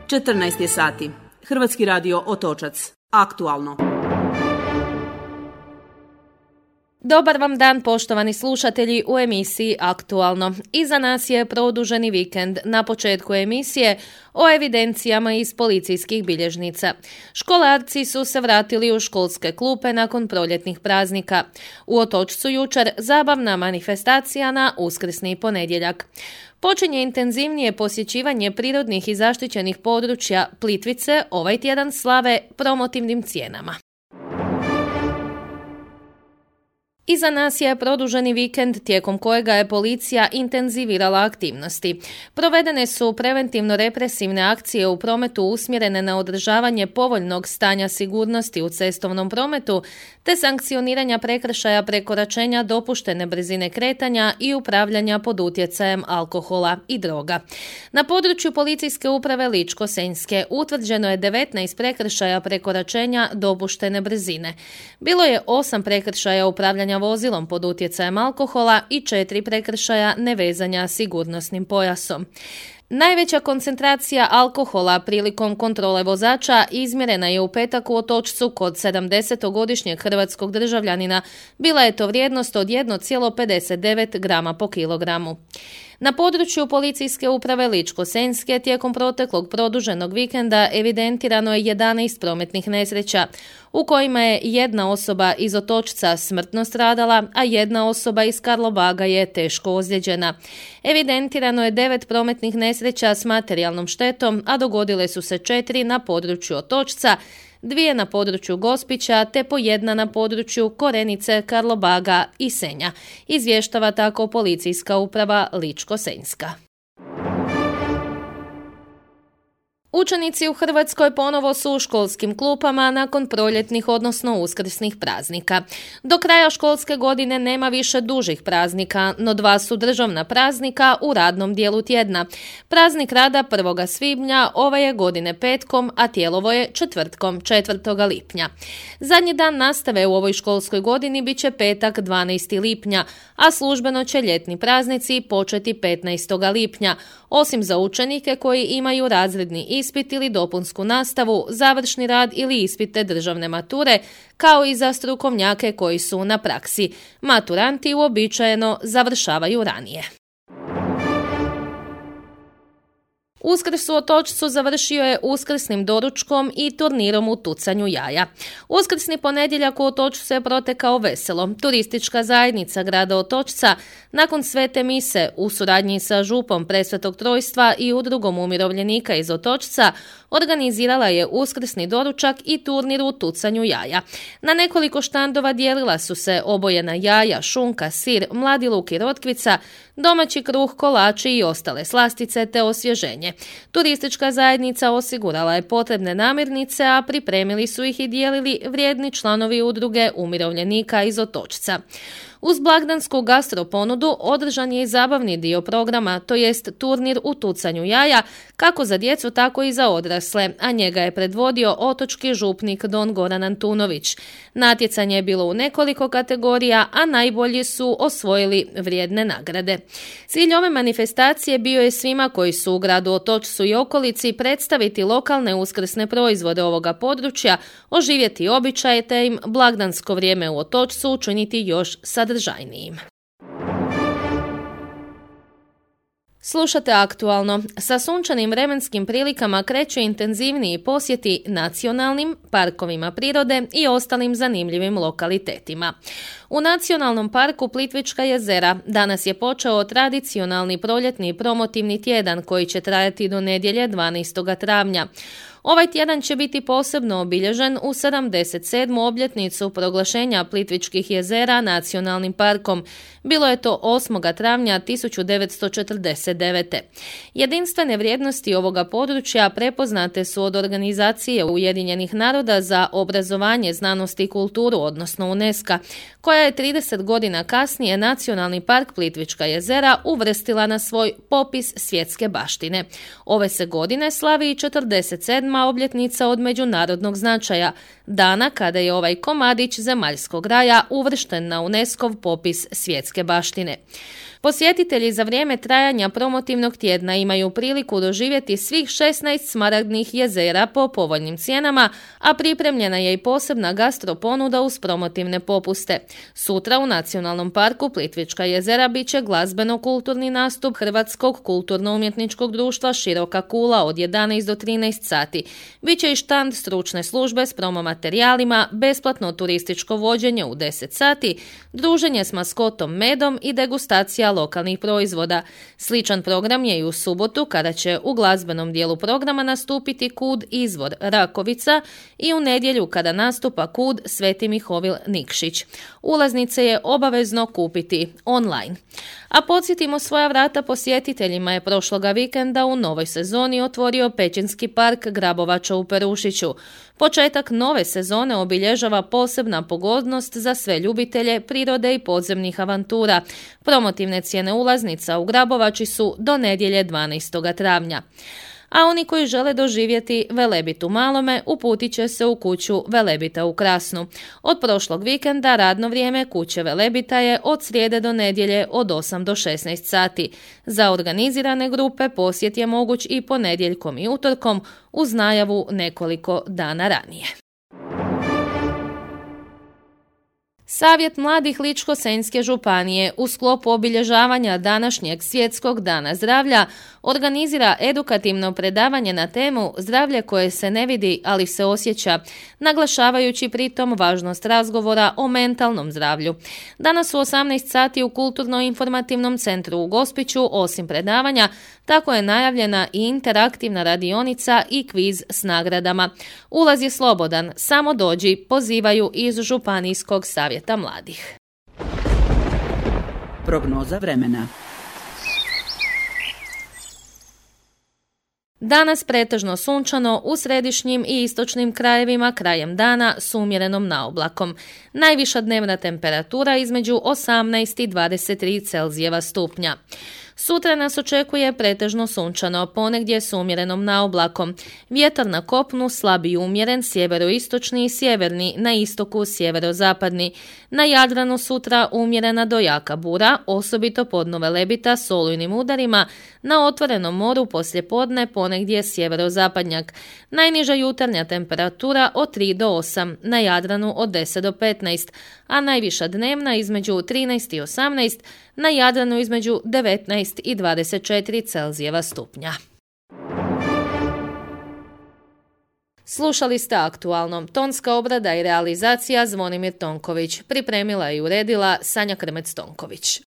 14 je sati. Hrvatski radio Otočac. Aktualno. Dobar vam dan, poštovani slušatelji, u emisiji Aktualno. Iza nas je produženi vikend. Na početku emisije o evidencijama iz policijskih bilježnica. Školarci su se vratili u školske klupe nakon proljetnih praznika. U Otočcu jučer zabavna manifestacija na uskrsni ponedjeljak. Počinje intenzivnije posjećivanje prirodnih i zaštićenih područja. Plitvice ovaj tjedan slave promotivnim cijenama. Iza nas je produženi vikend tijekom kojega je policija intenzivirala aktivnosti. Provedene su preventivno-represivne akcije u prometu usmjerene na održavanje povoljnog stanja sigurnosti u cestovnom prometu te sankcioniranja prekršaja prekoračenja dopuštene brzine kretanja i upravljanja pod utjecajem alkohola i droga. Na području policijske uprave Ličko-senjske utvrđeno je 19 prekršaja prekoračenja dopuštene brzine. Bilo je 8 prekršaja upravljanja vozilom pod utjecajem alkohola i 4 prekršaja nevezanja sigurnosnim pojasom. Najveća koncentracija alkohola prilikom kontrole vozača izmjerena je u petak u Otočcu kod 70-godišnjeg hrvatskog državljanina. Bila je to vrijednost od 1,59 grama po kilogramu. Na području policijske uprave Ličko-senjske tijekom proteklog produženog vikenda evidentirano je 11 prometnih nesreća, u kojima je jedna osoba iz Otočca smrtno stradala, a jedna osoba iz Karlobaga je teško ozlijeđena. Evidentirano je 9 prometnih nesreća s materijalnom štetom, a dogodile su se 4 na području Otočca, 2 na području Gospića te po 1 na području Korenice, Karlobaga i Senja, izvještava tako policijska uprava Ličko-senjska. Učenici u Hrvatskoj ponovo su u školskim klupama nakon proljetnih, odnosno uskrsnih praznika. Do kraja školske godine nema više dužih praznika, no 2 su državna praznika u radnom dijelu tjedna. Praznik rada 1. svibnja ove je godine petkom, a Tijelovo je četvrtkom 4. lipnja. Zadnji dan nastave u ovoj školskoj godini bit će petak 12. lipnja, a službeno će ljetni praznici početi 15. lipnja, osim za učenike koji imaju razredni ispit ili dopunsku nastavu, završni rad ili ispite državne mature, kao i za strukovnjake koji su na praksi. Maturanti uobičajeno završavaju ranije. Uskrs u Otočcu završio je uskrsnim doručkom i turnirom u tucanju jaja. Uskrsni ponedjeljak u Otočcu se protekao veselo. Turistička zajednica grada Otočca nakon svete mise u suradnji sa župom Presvetog Trojstva i udrugom umirovljenika iz Otočca organizirala je uskrsni doručak i turnir u tucanju jaja. Na nekoliko štandova dijelila su se obojena jaja, šunka, sir, mladi luk i rotkvica, domaći kruh, kolači i ostale slastice te osvježenje. Turistička zajednica osigurala je potrebne namirnice, a pripremili su ih i dijelili vrijedni članovi udruge umirovljenika iz Otočca. Uz blagdansku gastroponudu održan je i zabavni dio programa, to jest turnir u tucanju jaja, kako za djecu tako i za odrasle, a njega je predvodio otočki župnik Don Goran Antunović. Natjecanje je bilo u nekoliko kategorija, a najbolji su osvojili vrijedne nagrade. Cilj ove manifestacije bio je svima koji su u gradu Otočcu i okolici predstaviti lokalne uskrsne proizvode ovoga područja, oživjeti običaje te im blagdansko vrijeme u Otočcu učiniti još sadržajnijim. Slušate Aktualno. Sa sunčanim vremenskim prilikama kreću intenzivniji posjeti nacionalnim parkovima prirode i ostalim zanimljivim lokalitetima. U Nacionalnom parku Plitvička jezera danas je počeo tradicionalni proljetni promotivni tjedan koji će trajati do nedjelje 12. travnja. Ovaj tjedan će biti posebno obilježen u 77. obljetnicu proglašenja Plitvičkih jezera nacionalnim parkom. Bilo je to 8. travnja 1949. Jedinstvene vrijednosti ovoga područja prepoznate su od Organizacije Ujedinjenih naroda za obrazovanje, znanost i kulturu, odnosno UNESCO, koja koja je 30 godina kasnije Nacionalni park Plitvička jezera uvrstila na svoj popis svjetske baštine. Ove se godine slavi i 47. obljetnica od međunarodnog značaja, dana kada je ovaj komadić zemaljskog raja uvršten na UNESCO-v popis svjetske baštine. Posjetitelji za vrijeme trajanja promotivnog tjedna imaju priliku doživjeti svih 16 smaragdnih jezera po povoljnim cijenama, a pripremljena je i posebna gastro ponuda uz promotivne popuste. Sutra u Nacionalnom parku Plitvička jezera bit će glazbeno-kulturni nastup Hrvatskog kulturno-umjetničkog društva Široka kula od 11 do 13 sati. Biće i štand stručne službe s promomaterijalima, besplatno turističko vođenje u 10 sati, druženje s maskotom Medom i degustacija lokalnih proizvoda. Sličan program je i u subotu kada će u glazbenom dijelu programa nastupiti KUD Izvor Rakovica i u nedjelju kada nastupa KUD Sveti Mihovil Nikšić. Ulaznice je obavezno kupiti online. A podsjetimo, svoja vrata posjetiteljima je prošloga vikenda u novoj sezoni otvorio Pećinski park Grabovača u Perušiću. Početak nove sezone obilježava posebna pogodnost za sve ljubitelje prirode i podzemnih avantura. Promotivne cijene ulaznica u Grabovači su do nedjelje 12. travnja. A oni koji žele doživjeti Velebit u Malome uputit će se u kuću Velebita u Krasnu. Od prošlog vikenda radno vrijeme kuće Velebita je od srijede do nedjelje od 8 do 16 sati. Za organizirane grupe posjet je moguć i ponedjeljkom i utorkom uz najavu nekoliko dana ranije. Savjet mladih Ličko-senjske županije u sklopu obilježavanja današnjeg Svjetskog dana zdravlja organizira edukativno predavanje na temu zdravlje koje se ne vidi, ali se osjeća, naglašavajući pritom važnost razgovora o mentalnom zdravlju. Danas u 18 sati u Kulturno-informativnom centru u Gospiću, osim predavanja, tako je najavljena i interaktivna radionica i kviz s nagradama. Ulaz je slobodan, samo dođi, pozivaju iz Županijskog savjeta mladih. Prognoza vremena. Danas pretežno sunčano, u središnjim i istočnim krajevima krajem dana s umjerenom naoblakom. Najviša dnevna temperatura između 18 i 23 Celzijeva stupnja. Sutra nas očekuje pretežno sunčano, ponegdje s umjerenom naoblakom. Vjetar na kopnu slab i umjeren, sjeveroistočni i sjeverni, na istoku sjeverozapadni. Na Jadranu sutra umjerena do jaka bura, osobito podno Velebita s olujnim udarima, na otvorenom moru poslijepodne ponegdje sjeverozapadnjak. Najniža jutarnja temperatura od 3 do 8, na Jadranu od 10 do 15, a najviša dnevna između 13 i 18, na Jadranu između 19 i 24 Celzijeva stupnja. Slušali ste Aktualno. Tonska obrada i realizacija Zvonimir Tonković. Pripremila i uredila Sanja Krmec-Tonković.